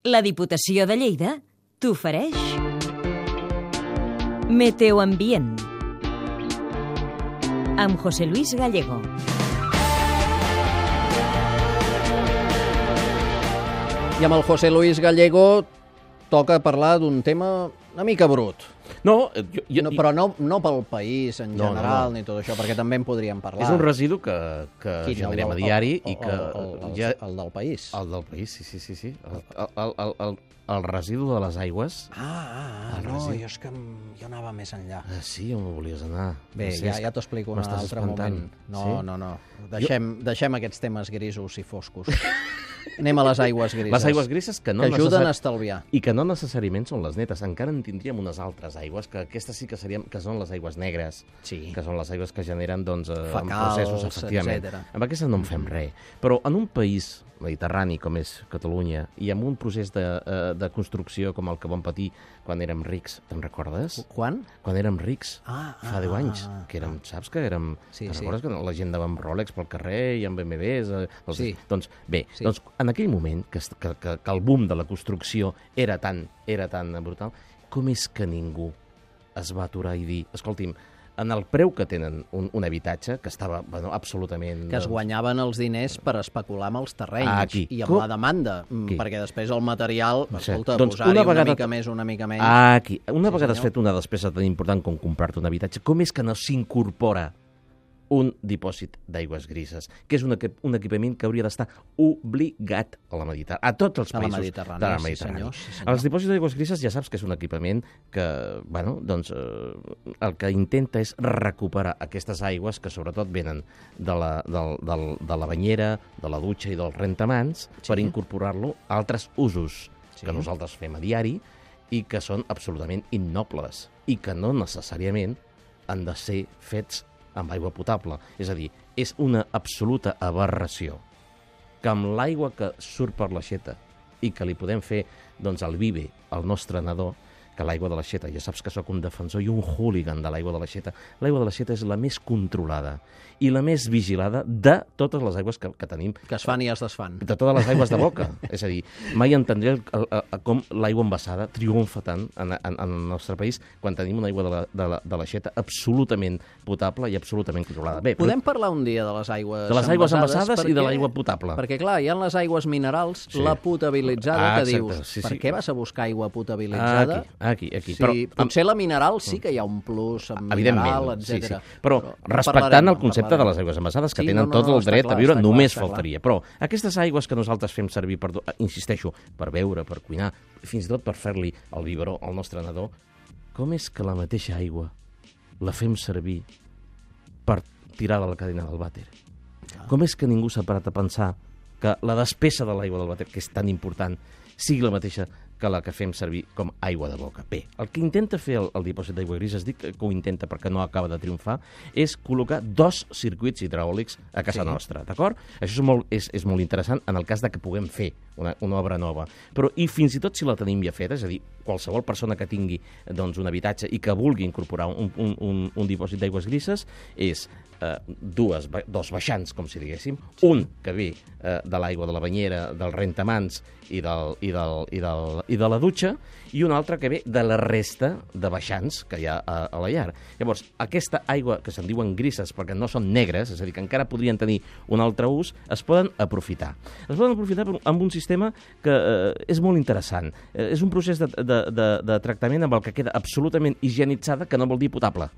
La Diputació de Lleida t'ofereix Meteoambient amb José Luis Gallego. I amb el José Luis Gallego toca parlar d'un tema una mica brut. No, Però no pel país en general ni tot això, perquè també en podríem parlar. És un residu que generem a diari i que... El del país. El del país, sí. El residu de les aigües. No, jo és que jo anava més enllà. Sí, on volies anar? Bé, ja t'ho explico en un altre moment. No. Deixem aquests temes grisos i foscos. Anem a les aigües grises. Les aigües grises que ajuden a estalviar. I que no necessàriament són les netes. Encara en tindríem unes altres aigües, que aquestes sí que són les aigües negres, que són les aigües que generen en processos, efectivament. Etcètera. Amb aquestes no en fem res. Però en un país mediterrani com és Catalunya i amb un procés de construcció com el que vam patir quan érem rics, te'n recordes? Quan? Quan érem rics, fa 10 anys, que érem, saps que érem... Sí. Recordes que la gent anava amb Rolex pel carrer i amb BMWs? Sí. Doncs bé, en aquell moment que el boom de la construcció era tan brutal, com és que ningú es va aturar i dir, escolti'm, en el preu que tenen un habitatge, que estava absolutament... Que es guanyaven els diners per especular amb els terrenys i amb la demanda, perquè després el material, escolta, posar-hi una mica menys... Una vegada has fet una despesa tan important com comprar-te un habitatge, com és que no s'incorpora un dipòsit d'aigües grises, que és un equipament que hauria d'estar obligat a tots els països de la Mediterrània. Els dipòsits d'aigües grises ja saps que és un equipament que, el que intenta és recuperar aquestes aigües que sobretot venen de la banyera, de la dutxa i dels rentamans per incorporar-lo a altres usos que nosaltres fem a diari i que són absolutament innobles i que no necessàriament han de ser fets amb aigua potable. És a dir, és una absoluta aberració que amb l'aigua que surt per l'aixeta i que li podem fer al bibe al nostre nadó, que l'aigua de l'aixeta, ja saps que sóc un defensor i un hooligan de l'aigua de l'aixeta. L'aigua de l'aixeta és la més controlada i la més vigilada de totes les aigües que tenim. Que es fan i es desfan. De totes les aigües de boca. És a dir, mai entendré com l'aigua envasada triomfa tant en el nostre país quan tenim una aigua de l'aixeta absolutament potable i absolutament controlada. Bé, podem parlar un dia de les aigües envasades? De les aigües envasades i de l'aigua potable. Perquè, clar, hi ha les aigües minerals, la potabilitzada, que dius, per què vas a buscar aigua potabilitzada? Aquí. Sí, però potser la mineral sí que hi ha un plus amb mineral, etc. Sí. Però respectant el concepte de les aigües envasades, que tenen tot el dret a viure, només faltaria. Però aquestes aigües que nosaltres fem servir, insisteixo, per beure, per cuinar, fins i tot per fer-li el biberó al nostre nadó, com és que la mateixa aigua la fem servir per tirar de la cadena del vàter? Com és que ningú s'ha parat a pensar que la despesa de l'aigua del vàter, que és tan important, sigui la mateixa que la que fem servir com aigua de boca? Bé, el que intenta fer el dipòsit d'aigua grises, dic que ho intenta perquè no acaba de triomfar, és col·locar 2 circuits hidràulics a casa nostra, d'acord? Això és molt interessant en el cas de que puguem fer una obra nova. Però, i fins i tot si la tenim ja feta, és a dir, qualsevol persona que tingui un habitatge i que vulgui incorporar un dipòsit d'aigües grises, és dos baixants, com si diguéssim, un que ve de l'aigua de la banyera, dels rentamans i de la dutxa, i un altre que ve de la resta de baixants que hi ha a la llar. Llavors, aquesta aigua, que se'n diuen grises perquè no són negres, és a dir, que encara podrien tenir un altre ús, es poden aprofitar. Es poden aprofitar amb un sistema que és molt interessant. És un procés de tractament amb el que queda absolutament higienitzada, que no vol dir potable.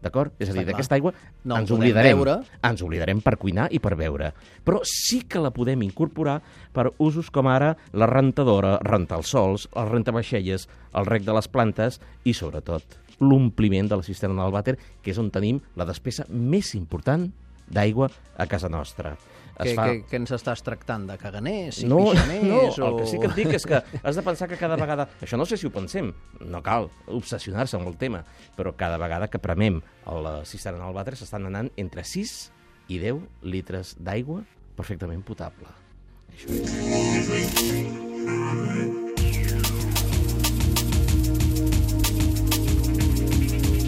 D'acord? És a dir, d'aquesta aigua ens oblidarem per cuinar i per beure. Però sí que la podem incorporar per usos com ara la rentadora, rentar els sols, el rentavaixelles, el rec de les plantes i, sobretot, l'ompliment de la cisterna del vàter, que és on tenim la despesa més important d'aigua a casa nostra. Què ens estàs tractant? De caganers? Pixaners? No, el que sí que et dic és que has de pensar que cada vegada... Això no sé si ho pensem, no cal obsessionar-se amb el tema, però cada vegada que premem la cisterna del vàter s'estan anant entre 6 i 10 litres d'aigua perfectament potable.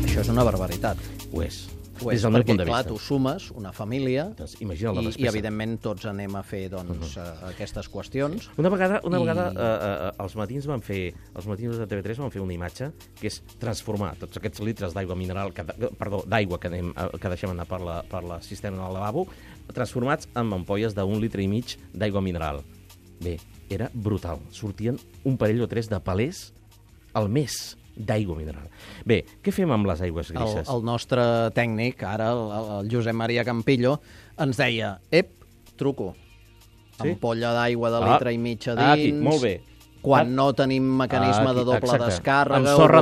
Això és una barbaritat. Ho és. des del meu punt de vista. Perquè, clar, tu sumes una família i evidentment, tots anem a fer aquestes qüestions. Una vegada els matins de TV3 van fer una imatge que és transformar tots aquests litres d'aigua mineral, d'aigua que deixem anar per la cisterna del lavabo, transformats en ampolles d'1,5 litre d'aigua mineral. Bé, era brutal. Sortien un parell o tres de palers al mes d'aigua mineral. Bé, què fem amb les aigües grises? El nostre tècnic, ara, el Josep Maria Campillo, ens deia, truco, ampolla d'aigua de litre i mig a dins... Aquí, molt bé. Quan no tenim mecanisme de doble descàrrega... Amb sorra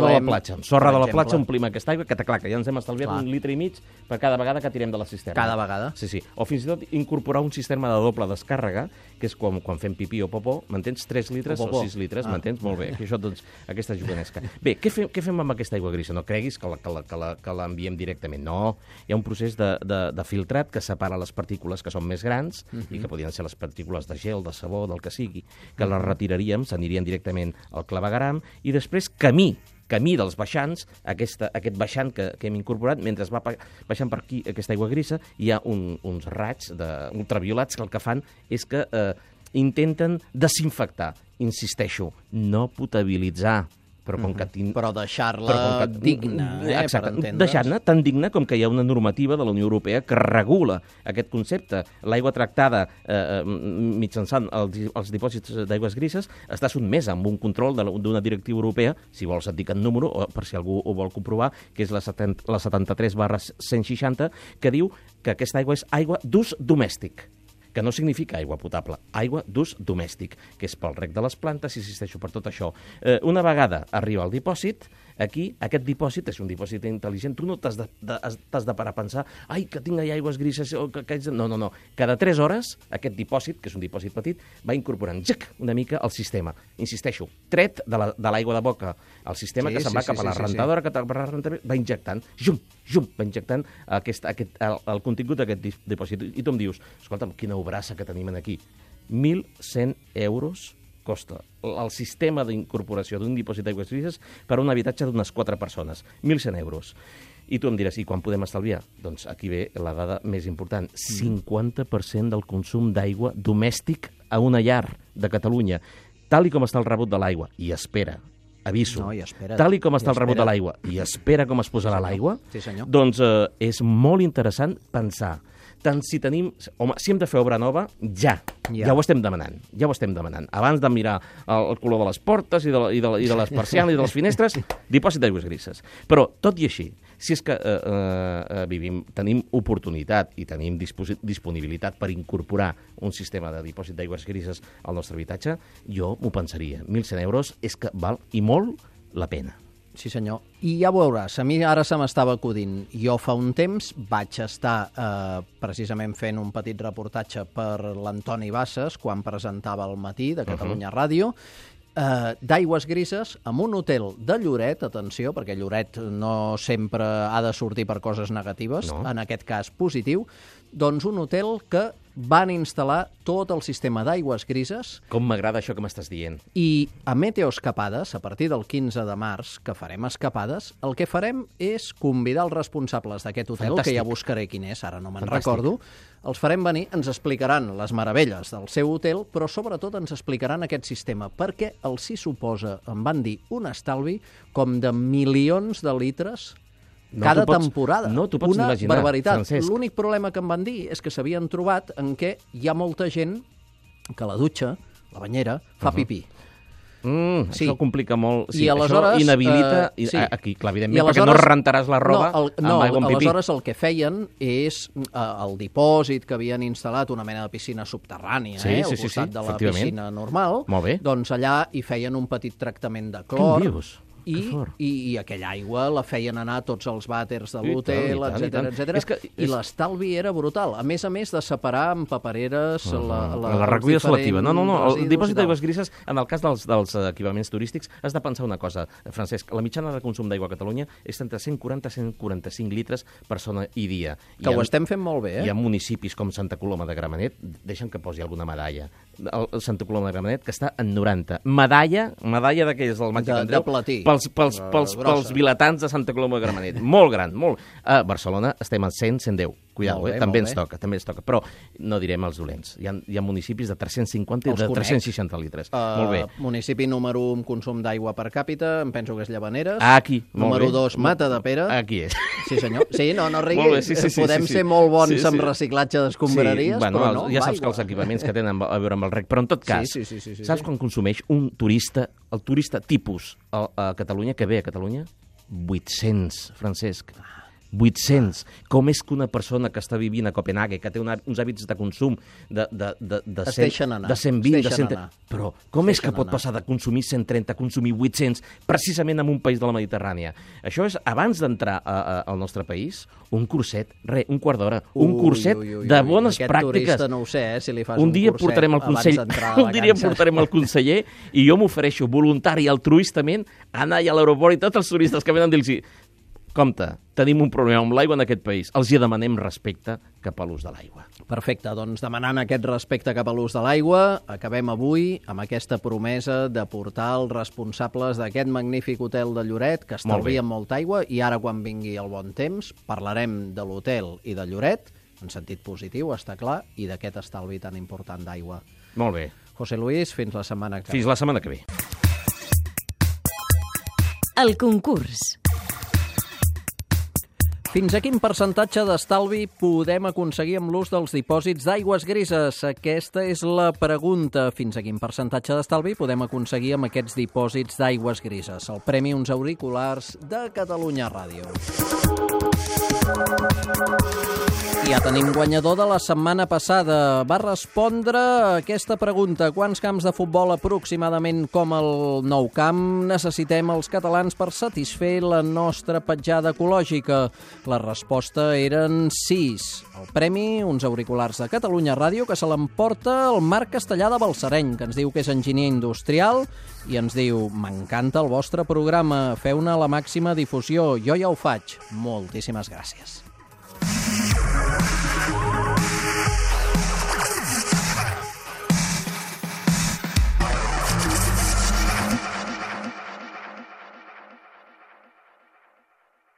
de la platja omplim aquesta aigua, que ja ens hem estalviat 1,5 litres per cada vegada que tirem de la cisterna. Cada vegada. Sí. O fins i tot incorporar un sistema de doble descàrrega, que és quan fem pipí o popó, m'entens? 3 litres o 6 litres, m'entens? Molt bé, això, doncs, aquesta juganesca. Bé, què fem amb aquesta aigua grisa? No creguis que l'enviem directament. No, hi ha un procés de filtrat que separa les partícules que són més grans i que podrien ser les partícules de gel, de sabó, del que sigui, que les retiraríem, s'anirien directament al clavegaram i després camí dels baixants, aquest baixant que hem incorporat, mentre va baixant per aquí aquesta aigua grisa, hi ha uns raigs ultraviolats que el que fan és que intenten desinfectar, insisteixo, no potabilitzar, però deixar-la digna, per entendre's. Deixar-la tan digna com que hi ha una normativa de la Unió Europea que regula aquest concepte. L'aigua tractada mitjançant els dipòsits d'aigües grises està sotmesa amb un control d'una directiva europea, si vols et dic el número, per si algú ho vol comprovar, que és la 73/160, que diu que aquesta aigua és aigua d'ús domèstic, que no significa aigua potable, aigua d'ús domèstic, que és pel reg de les plantes, insisteixo, per tot això. Una vegada arriba al dipòsit, aquí, aquest dipòsit és un dipòsit intel·ligent, tu no t'has de parar a pensar ai, que tinc allà aigües grises, no. Cada 3 hores, aquest dipòsit, que és un dipòsit petit, va incorporant una mica al sistema. Insisteixo, tret de l'aigua de boca, el sistema que se'n va cap a la rentadora, que va injectant, va injectant el contingut d'aquest dipòsit. I tu em dius, escolta'm, quina obrassa que tenim aquí. 1.100 euros costa el sistema d'incorporació d'un dipòsit d'aigües grises per a un habitatge d'unes 4 persones. 1.100 euros. I tu em diràs, i quan podem estalviar? Doncs aquí ve la dada més important. 50% del consum d'aigua domèstic a una llar de Catalunya. Tal i com està el rebut de l'aigua. I espera, aviso, tal i com està el rebut de l'aigua i espera com es posarà l'aigua, doncs és molt interessant pensar tant si tenim... Home, si hem de fer obra nova, ja ho estem demanant. Abans de mirar el color de les portes i de les persianes i de les finestres, dipòsit d'aigües grises. Però, tot i així, si és que tenim oportunitat i tenim disponibilitat per incorporar un sistema de dipòsit d'aigües grises al nostre habitatge, jo m'ho pensaria. 1.100 euros és que val i molt la pena. Sí, senyor. I ja veuràs, a mi ara se m'estava acudint. Jo fa un temps vaig estar precisament fent un petit reportatge per l'Antoni Bassas, quan presentava al matí de Catalunya Ràdio, d'aigües grises amb un hotel de Lloret, atenció, perquè Lloret no sempre ha de sortir per coses negatives, en aquest cas positiu, doncs un hotel que van instal·lar tot el sistema d'aigües grises. Com m'agrada això que m'estàs dient. I a Meteoescapades, a partir del 15 de març, que farem escapades, el que farem és convidar els responsables d'aquest hotel, que ja buscaré quin és, ara no me'n recordo, els farem venir, ens explicaran les meravelles del seu hotel, però sobretot ens explicaran aquest sistema, perquè els hi suposa, em van dir, un estalvi com de milions de litres cada temporada. No t'ho pots imaginar, barbaritat. Francesc. L'únic problema que em van dir és que s'havien trobat en què hi ha molta gent que la dutxa, la banyera, fa pipí. Això complica molt. I aleshores, això inhabilita... Aquí, clar, evidentment, perquè no rentaràs la roba amb aigua amb pipí. Aleshores el que feien és el dipòsit que havien instal·lat, una mena de piscina subterrània, al costat de la piscina normal, doncs allà hi feien un petit tractament de clor. Què em dius? I aquella aigua la feien anar a tots els vàters de l'hotel, etc. I l'estalvi era brutal. A més de separar amb papereres la recollida selectiva. No, el dipòsit d'aigües grises, en el cas dels equipaments turístics, has de pensar una cosa, Francesc, la mitjana de consum d'aigua a Catalunya és entre 140 i 145 litres persona i dia. Que ho estem fent molt bé, Hi ha municipis com Santa Coloma de Gramenet, deixa'm que posi alguna medalla, Santa Coloma de Gramenet, que està en 90. Medalla d'aquelles del Màgic Andreu, de platí. Pels pels vilatans de Santa Coloma de Gramenet. Molt gran, molt. A Barcelona estem al 100, 110. Cuidado, també ens toca. Però no direm els dolents. Hi ha municipis de 350 i de 360 litres. Molt bé. Municipi número 1 amb consum d'aigua per càpita, em penso que és Llavaneres. Aquí. Número 2, Mata de Pere. Aquí és. Sí, senyor. Sí, no rigui. Podem ser molt bons amb reciclatge d'escombraries, però no. Ja saps que els equipaments que tenen a veure amb el rec, però en tot cas, saps quan consumeix un turista, el turista tipus a Catalunya, que ve a Catalunya? 800, Francesc. 800. Com és que una persona que està vivint a Copenhague, que té uns hàbits de consum de 120, de 130... Però com és que pot passar de consumir 130 a consumir 800 precisament en un país de la Mediterrània? Això és, abans d'entrar al nostre país, un curset, un quart d'hora, un curset de bones pràctiques. Aquest turista no ho sé, si li fas un dia portarem el conseller, un dia portarem el conseller i jo m'ofereixo voluntari altruistament a anar a l'aeroport i tots els turistes que venen dir-los: compte, tenim un problema amb l'aigua en aquest país. Els hi demanem respecte cap a l'ús de l'aigua. Perfecte, doncs demanant aquest respecte cap a l'ús de l'aigua, acabem avui amb aquesta promesa de portar els responsables d'aquest magnífic hotel de Lloret, que estalvien molta aigua, i ara quan vingui el bon temps parlarem de l'hotel i de Lloret, en sentit positiu, està clar, i d'aquest estalvi tan important d'aigua. Molt bé. José Luis, fins la setmana que ve. Fins la setmana que ve. El concurs. Fins a quin percentatge d'estalvi podem aconseguir amb l'ús dels dipòsits d'aigües grises? Aquesta és la pregunta. Fins a quin percentatge d'estalvi podem aconseguir amb aquests dipòsits d'aigües grises? El premi Uns Auriculars de Catalunya Ràdio. Ja tenim guanyador de la setmana passada. Va respondre a aquesta pregunta: quants camps de futbol aproximadament com el Nou Camp necessitem els catalans per satisfer la nostra petjada ecològica? La resposta eren 6. El premi, Uns Auriculars de Catalunya Ràdio, que se l'emporta el Marc Castellà de Balsareny, que ens diu que és enginyer industrial i ens diu: m'encanta el vostre programa, feu-ne la màxima difusió, jo ja ho faig. Moltíssimes gràcies.